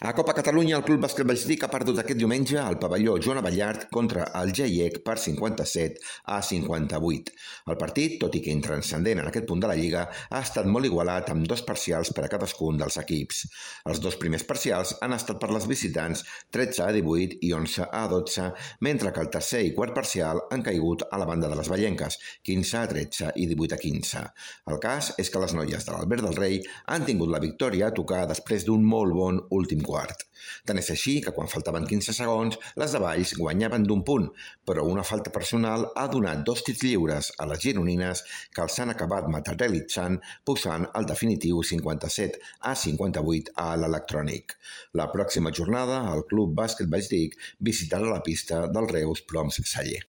A Copa Catalunya, el Club Bàsquet Valldic ha perdut aquest diumenge al pavelló Joan Abellart contra el GIEC per 57-58. El partit, tot i que intranscendent en aquest punt de la Lliga, ha estat molt igualat amb 2 parcials per a cadascun dels equips. Els 2 primers parcials han estat per les visitants 13-18 i 11-12, mentre que el tercer i quart parcial han caigut a la banda de les vallenques, 15-13 i 18-15. El cas és que les noies de l'Albert del Rei han tingut la victòria a tocar després d'un molt bon últim quart. Tant és així que quan faltaven 15 segons, les de Valls guanyaven d'un punt, però una falta personal ha donat 2 tirs lliures a les gironines que els han acabat materialitzant, posant el definitiu 57-58 a l'Electrònic. La pròxima jornada, el Club Bàsquet Valldic visitarà la pista del Reus Ploms Saller.